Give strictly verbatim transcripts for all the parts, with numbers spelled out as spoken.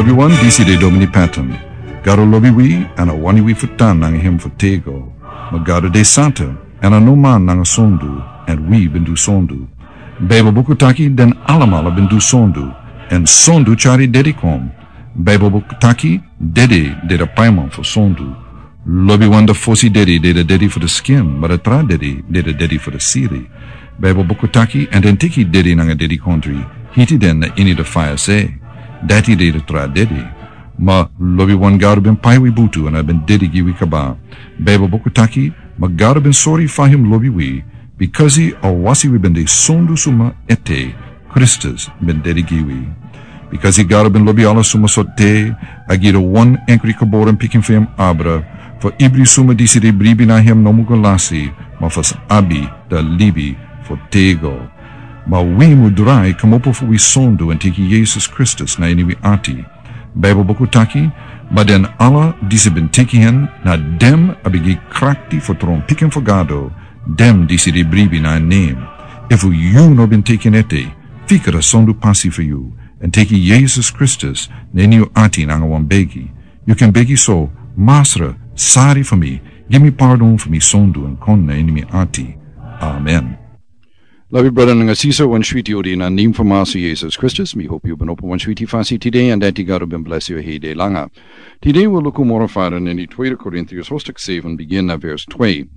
Wi wan disi de Domini Patton. Gado lobi wi, èn a wani wi fu tan nanga hem fu tego. Ma Gado de santa, èn a no man nanga sondu, èn wi ben du sondu. Baibel buku taki den alamala ben du sondu, èn sondu tyari dedi kon. Baibel buku taki dedi de de paiman fu sondu. Lobi wan de fosi dedi de de dedi fu de skin, ma de tra dedi de de dedi fu de siri. Baibel buku taki, èn den teki dedi nanga dedi kontri, hiti den na ini de faya se. Dati de de tra dedi. Ma lobi wan Gado ben pai wi butu, èn a ben dedi gi wi kaba. Baibel buku taki, ma Gado ben sori fa hem lobi wi, bikasi a wasi wi ben de sondu suma ete, Kristus ben dedi gi wi. Bikasi Gado ben lobi ala suma so te, a gi de wan enkri geboren pikin fu hem abra, fu ibri suma disi de bribi na hem no mu go lasi, ma fu sa abi de libi fu tego. Ma wi mu drai komopo fu wi sondu èn teki Yesus Kristus na ini wi ati. Baibel buku taki, ma den ala disi ben teki hen, na dem a ben gi krakti fu tron pikin fu Gado, dem disi de bribi na en nem. Efu yu no ben teki en ete, fika de sondu pasi fu yu, èn teki Yesus Kristus na ini yu ati nanga wan begi. Yu kan begi so, Masra, sari fu mi, gi mi pardon fu mi sondu èn kon na ini mi ati. Amen. Lobi brada nanga sisa, wan switi odi na nem fu Masra Yesus Kristus. Mi hopi yu ben opo wan switi fasi tide, èn dati Gado ben blesi yu hei de langa. Tide wi luku moro fara na ini Tweede Korintiërs hoofdstuk seven, begin na vers twee.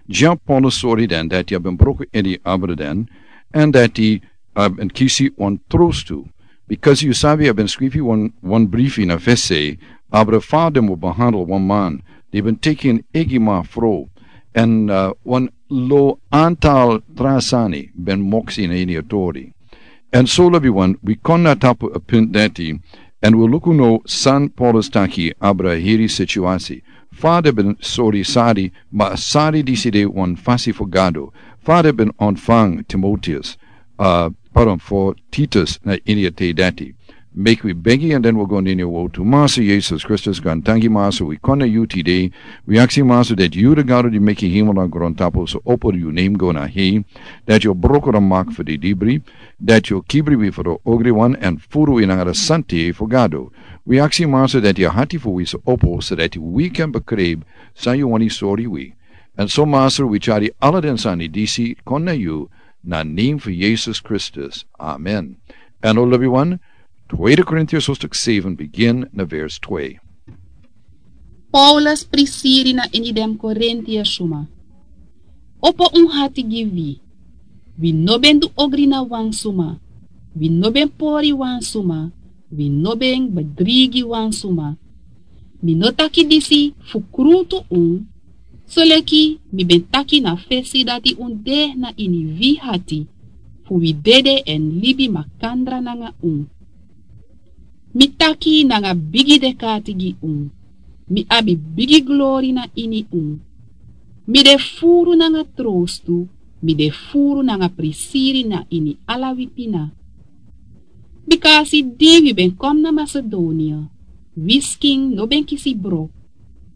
Dya Paulus sori den dati a ben broko ede abra den, èn dati a ben kisi wan trostu. Bikasi yu sabi a ben skrifi wan, wan brifi na fesi, abra fa den mu behandel wan man di ben teki en egi mafro, èn, eh, wan lo antal tra sani ben moksi na ini a tori. Èn so lobi wan, wi kon na tapu a punt dati, èn wi luku now san Paulus taki abra heri situasi. Fa den ben sori sari, ma sari disi de wan fasi fu Gado. Fa den ben ontfang Timoteus, eh, pardon, fu Titus na ini a tei dati. Meki wi begi èn den wi go na ini a wowtu. Masra Yesus Kristus, grantangi Masra, wi kon na yu tide. Wi aksi Masra dati yu de Gado di meki hemel nanga grontapu, so opo yu nem go na hei. Dati yu o broko de mak fu de dibri. Dati yu o kibri wi fu de ogriwan èn furu wi nanga de sante fu Gado. Wi aksi Masra dati a hati fu wi so opo, so dati wi kan bekrib san yu wani sori wi. Èn so Masra wi tyari ala den sani disi kon na yu, na nem fu Yesus Kristus. Amen. Èn o lobi wan, Tweede Korintiërs hoofdstuk seven, begin na vers twee. Paulus prisiri na ini den Korintiërs suma. Opo un hati gi wi. Wi no ben du ogri na wan suma. Wi no ben pori wan suma. Wi no ben bedrigi wan suma. Mi no taki disi fu krutu un, soleki mi ben taki na fesi dati un de na ini wi hati, fu wi dede èn libi makandra nanga un. Mi taki nanga bigi dek'ati gi un. Mi abi bigi glori na ini un. Mi de furu nanga trostu, mi de furu nanga prisiri na ini ala wi pina. Bika a si di wi ben kon na Masedonia, wi skin no ben kisi broko,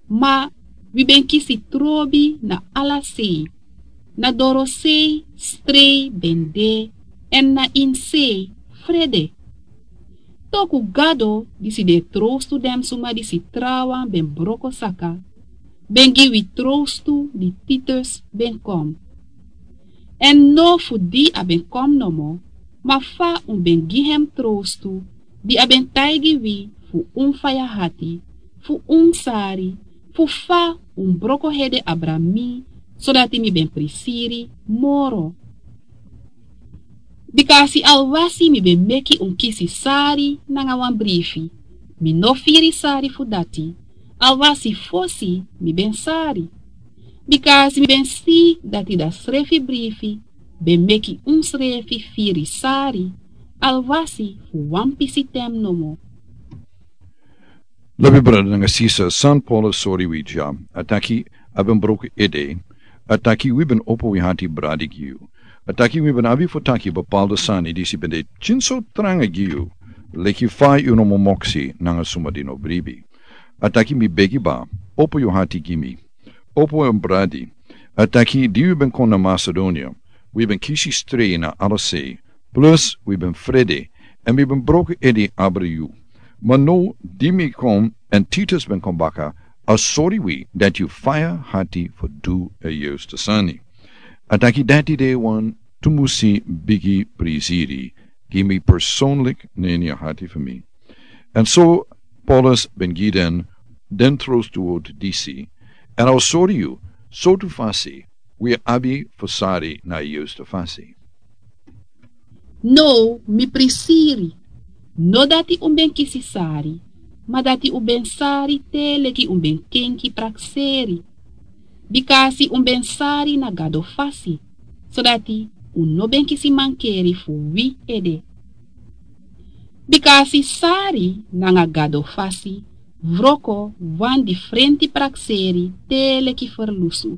ma wi ben kisi trobi na ala sei, na dorosei, strei ben de, èn na ini sei, frede. Toku Gado, disi de trostu den suma disi trawan ben broko saka, ben gi wi trostu di Titus ben kon. Èn no fu di a ben kon nomo, ma fa un ben gi hem trostu, di a ben taigi wi fu un faya hati, fu un sari, fu fa un broko hede abra mi, sodati mi ben prisiri moro. Bika a si alwasi mi ben meki un kisi sari nanga wan brifi, mi no firi sari fu dati, alwasi fosi mi ben sari. Bika a si mi ben si dati da srefi brifi ben meki un srefi firi sari, alwasi fu wan pisi ten nomo. Lobi brada nanga sisa, san Paulus sori wi dya, a taki a ben broko ede, a taki wi ben opo wi hati bradi gi yu. A taki wi ben abi fu taki bepaalde sani disi ben de tyin so tranga gi yu, leki fa yu no mu moksi nanga suma di no bribi. A taki mi begi baka, opo yu hati gi mi. Opo en bradi. A taki di wi ben kon na Masedonia, wi ben kisi strei na ala sei, plus wi ben frede, èn wi ben broko ede abra yu. Ma now di mi kon èn Titus ben kon baka, a sori wi dati yu faya hati fu du a yustu sani. A taki dati de wan tumusi bigi prisiri gi mi personlik na ini a hati fu mi. Èn so Paulus ben gi den den trostu word disi, èn a o sori yu sortu fasi wi abi fu sari na a yustu fasi. Now mi prisiri, no dati un ben kisi sari, ma dati un ben sari te leki un ben kenki prakseri. Bika a si un ben sari na Gado fasi, sodati un no ben kisi mankeri fu wi ede. Bika a si sari nanga Gado fasi wroko wan difrenti prakseri te leki ferlusu.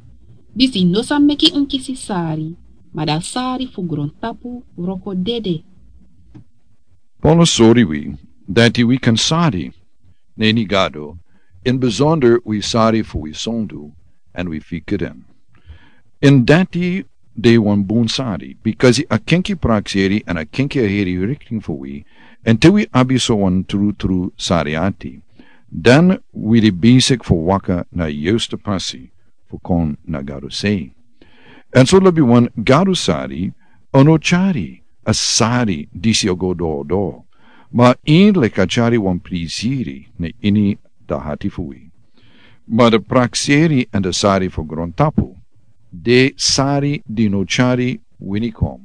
Disi no sa meki un kisi sari, ma dan sari fu grontapu wroko dede. Paulus sori wi dati wi kan sari na ini Gado, in besonder wi sari fu wi sondu èn wi fika den. In dati de wan bun sari, bikasi a kenki prakseri èn a kenki a heri rikting fu wi, èn te wi abi so wan trutru sari ati, dan wi de besik fu waka na a yustu pasi fu kon na Gado sei. Èn so lobi wan Gado sari a no tyari a sari disi a go doro doro, ma a ini leki a tyari wan prisiri na ini a hati fu wi. Ma a prakseri èn a sari fu grontapu de sari di no tyari wini kon.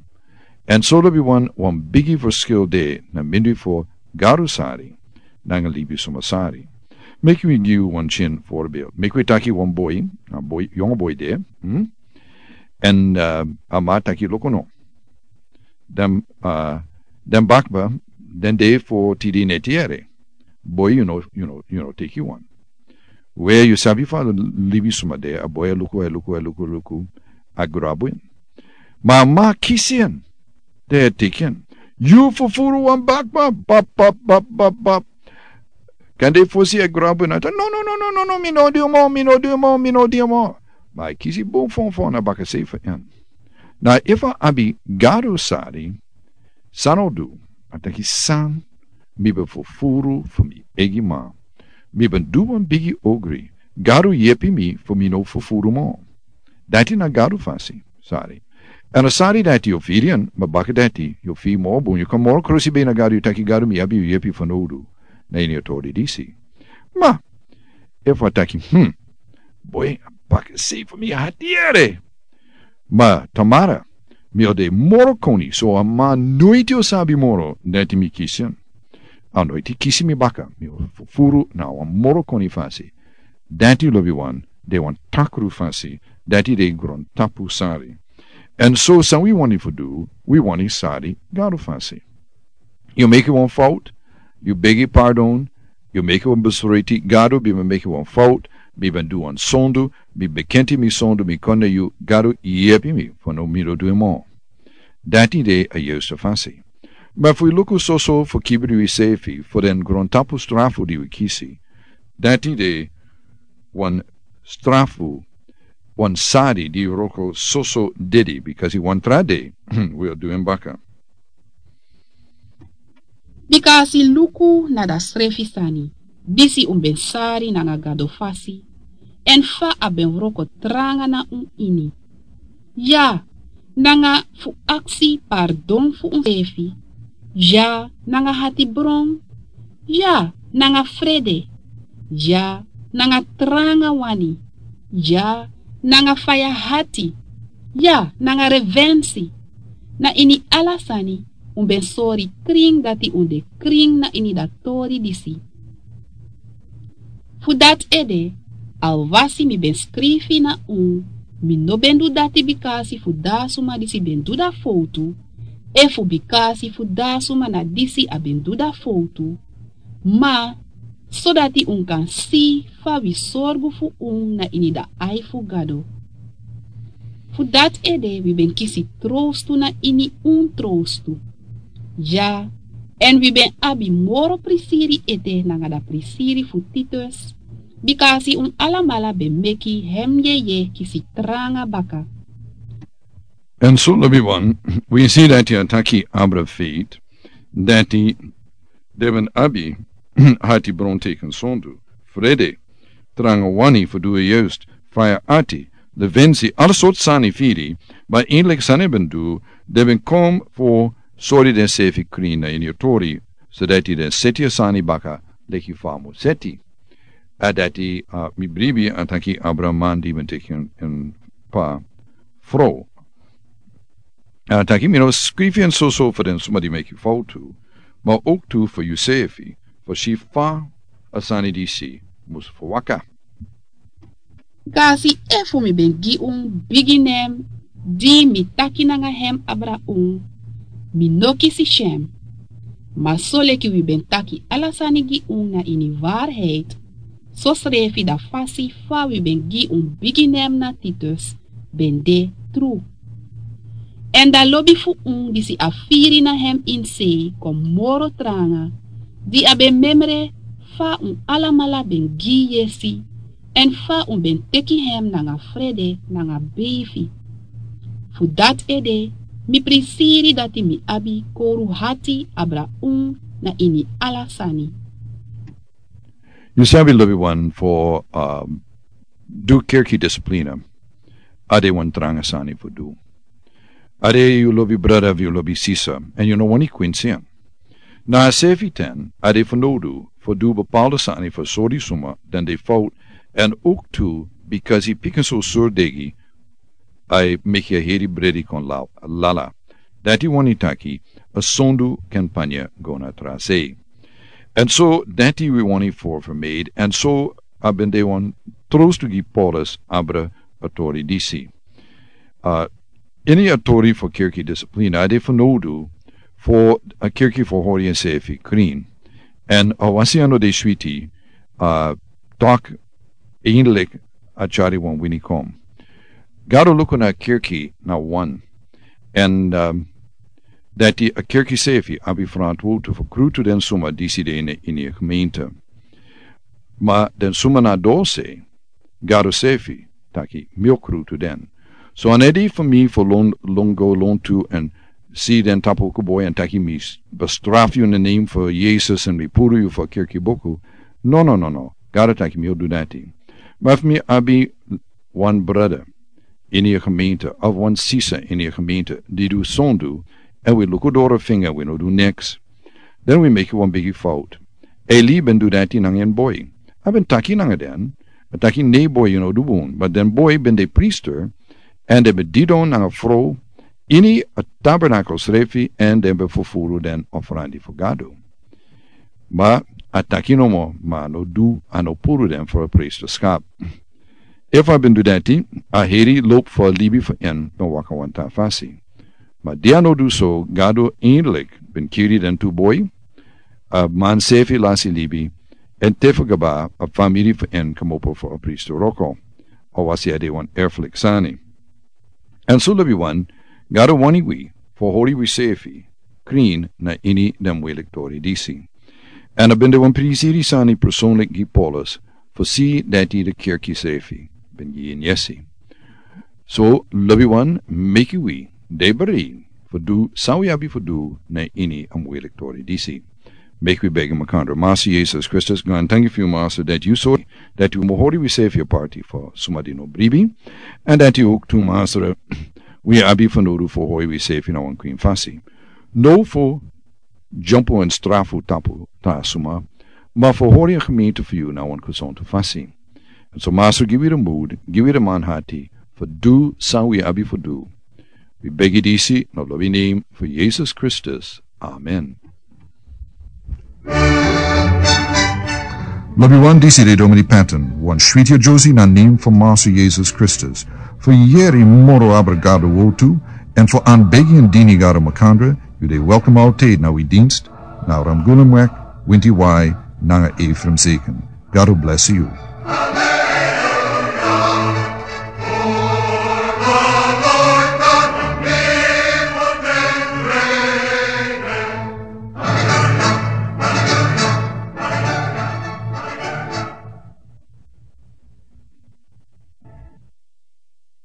Èn so lobi wan wan bigi ferskil de na mindri fu Gado sari nanga libisuma sari. Meki wi gi yu wan tyin forbeeld. Meki wi taki wan boi, a boi, yongu boi de. Èn a man taki luku no, den bakba den de fu tidi neti yere. Boi, yu no teki wan. We yu sabi fa libisuma de, a boi e luku, e luku, e luku, luku, a grabu en. Ma a man kisi en, te a teki en. Yu fufuru wan bakba, bap bap bap bap bap. Kande fosi a grabu en a taki no no no no no no mi no du yu mo, mi no du yu mo, mi no du yu mo. Ma a kisi bun fonfon na bakasei fu en. Na efu a abi Gado sari, san a o du? A taki san, mi ben fufuru fu mi eigi man. Mi ben du wan bigi ogri. Gado yepi mi fu mi no fufuru mo. Dati na Gado fasi sari. Èn a sari dati yu o firi en, ma baka dati yu o firi moro bun, yu kon moro krosibei na Gado, yu taki Gado mi abi yu yepi fanowdu na ini a tori disi. Ma efu a taki hmm, boi, a bakasei fu mi hati yere. Ma tamara mi o de moro koni, so a man noiti o sabi moro dati mi kisi en. A noiti kisi mi baka, mi o fufuru na wan moro koni fasi. Dati lobiwan de wan takru fasi, dati de grontapu sari. Èn so san wi wani fu du? Wi wani sari Gado fasi. Yu meki wan fout, yu begi pardon, yu meki wan besreti, Gado, mi ben meki wan fout, mi ben du wan sondu, mi bekenti mi sondu, mi kon na yu, Gado, yepi mi fu no mi no du en mo. Dati de a yustu fasi. Ma efu wi luku soso fu kibri wi sefi fu den grontapu strafu di wi kisi, dati de wan strafu, wan sari di wroko soso dedi, bikasi wan tra dei wi o du en baka. Bika a si luku na dasrefi sani, disi un ben sari nanga Gado fasi, èn fa a ben wroko tranga na un ini. Ya, nanga fu aksi pardon fu unsefi. Ya, nanga hatibron. Ya, nanga frede. Ya, nanga tranga wani. Ya, nanga faya hati. Ya, nanga revensi. Na ini ala sani un ben sori krin dati un de krin na ini dati tori disi. Fu dati ede, alwasi mi ben skrifi na un, mi no ben du dati bikasi fu dati suma disi ben du dati fowtu, efu bikasi fu dati suma na disi a ben du dati fowtu, ma sodati un kan si fa wi sorgu fu un na ini dati ai fu Gado. Fu dati ede wi ben kisi trowstu na ini un trowstu. Ya, èn wi ben abi moro prisiri ete nanga dati prisiri fu Titus, bikasi un alamala ben meki hem yeye kisi tranga baka. Èn so lobiwan, wi si dati a taki abra feit dati den ben abi hati bron teken sondu, frede, tranga wani fu du e yust, faya ati, levensi ala sort sani firi, ma inlik sani ben du, de ben kom fu sori den sefi krin na ini yu tori, so dati den seti a sani baka leki fa a mu seti. A dati, a, mi bribi a taki abra man di ben teki en, en pa fro. A taki mi no skrifi en soso fu den suma di meki fautu, ma ook tu fu yusefi, fu si fa a sani disi mus fu waka. Kasi efu mi ben gi un bigi nen di mi taki nanga hem abra un, mi no kisi syen. Ma so leki wi ben taki ala sani gi un na ini waarheid, so srefi da fasi fa wi ben gi un bigi nen na Titus ben de tru. Èn da lobi fu un disi a firi na hem ini sei kon moro tranga, di a ben memre fa un alamala ben gi yesi, èn fa un ben teki hem nanga frede nanga beifi. Fu dati ede mi prisiri dati mi abi kowru hati abra un na ini ala sani. Yu sabi lobi wan fu, um, du kerki disiplina. A de wan tranga sani fu du. A de yu lobi brada fu yu lobi sisa, èn yu no wani kwinsi en. Na a sefi ten a de fanowdu fu du bepaalde sani fu sori suma dan de fout, èn ook tu bikasi pikin so sordegi a e meki a heri bredi kon la-, lala. Dati wani taki a sondu kan panya go na tra sei. Èn so dati wi wani fu vermijden. Èn so a ben de wan trostu gi Paulus abra a tori disi. A, ini a tori fu kerki disiplina a de fanowdu fu a kerki fu hori ensefi krin. Èn a wasi a no de switi, a, taki eindelijk a tyari wan wini kon. Gado luku na kerki na wan. Èn, um, dati a kerki sefi abi frantwutu fu krutu den suma disi de ini, ini a gemeente. Ma den suma na dose, Gado sefi taki mi o krutu den. So a no de fu mi fu lon, lon go lontu èn si den tapu koboi èn taki mi s-, bestrafu yu in de name fu Yesus èn mi puru yu fu a kerki buku. No, no, no, no. Gado taki mi o du dati. Ma fu mi abi wan brada ini a gemeente, of wan sisa ini a gemeente, di du sondu, èn wi luku doro finga, wi no du niks. Dan wi meki wan bigi fout. Eli ben du dati nanga en boi. A ben taki nanga den, a taki nei boi, yu no du bun. Ma den boi ben de priester, èn den ben didon nanga fro, ini a tabernakel srefi, èn den ben fufuru den ofrandi fu Gado. Ma a taki nomo, ma a no du, a no puru den fu a priesterschap. Efu a ben du dati, a heri loop fu a libi fu en ben waka wan tra fasi. Ma di a no du so, Gado eindelijk ben kiri den tu boi, a man sefi lasi libi, èn te fu kaba a famiri fu en komopo fu a priester wroko, a wasi a de wan erfelijk sani. Èn so lobi wan, Gado wani wi fu hori wi sefi krin na ini den moeilijk tori disi. Èn a ben de wan prisiri sani persoonlijk gi Paulus, fu si dati de kerki sefi ben gi en yesi. So lobi wan, meki wi de bereid fu du san wi abi fu du na ini a moeilijk tori disi. Meki wi begi makandra. Master Yesus Kristus, gaantangi fu yu, Master, dati yu sori dati wi mu hori wi sefi aparti fu suma di no bribi. Èn dati ook tu, Master, wi abi fanowdu fu hori wi sefi na wan krin fasi. No fu dyompo èn strafu tapu tra suma, ma fu hori a gemeente fu yu na wan gezonde fasi. Èn so, Master, gi wi de moed, gi wi de manhati fu du san wi abi fu du. Wi begi disi na lobi name fu Yesus Kristus. Amen. Lobi wan, disi de Domini Patton, wan switi a Josie na name fu Master Yesus Kristus. Fu yeri moro abra Gado wortu, èn fu aanbegi èn dini Gado makandra, yu de welkom altijd na wi dienst, na Ramgulumweg, winti wai, nanga Ephraim Zeken. Gado bless yu.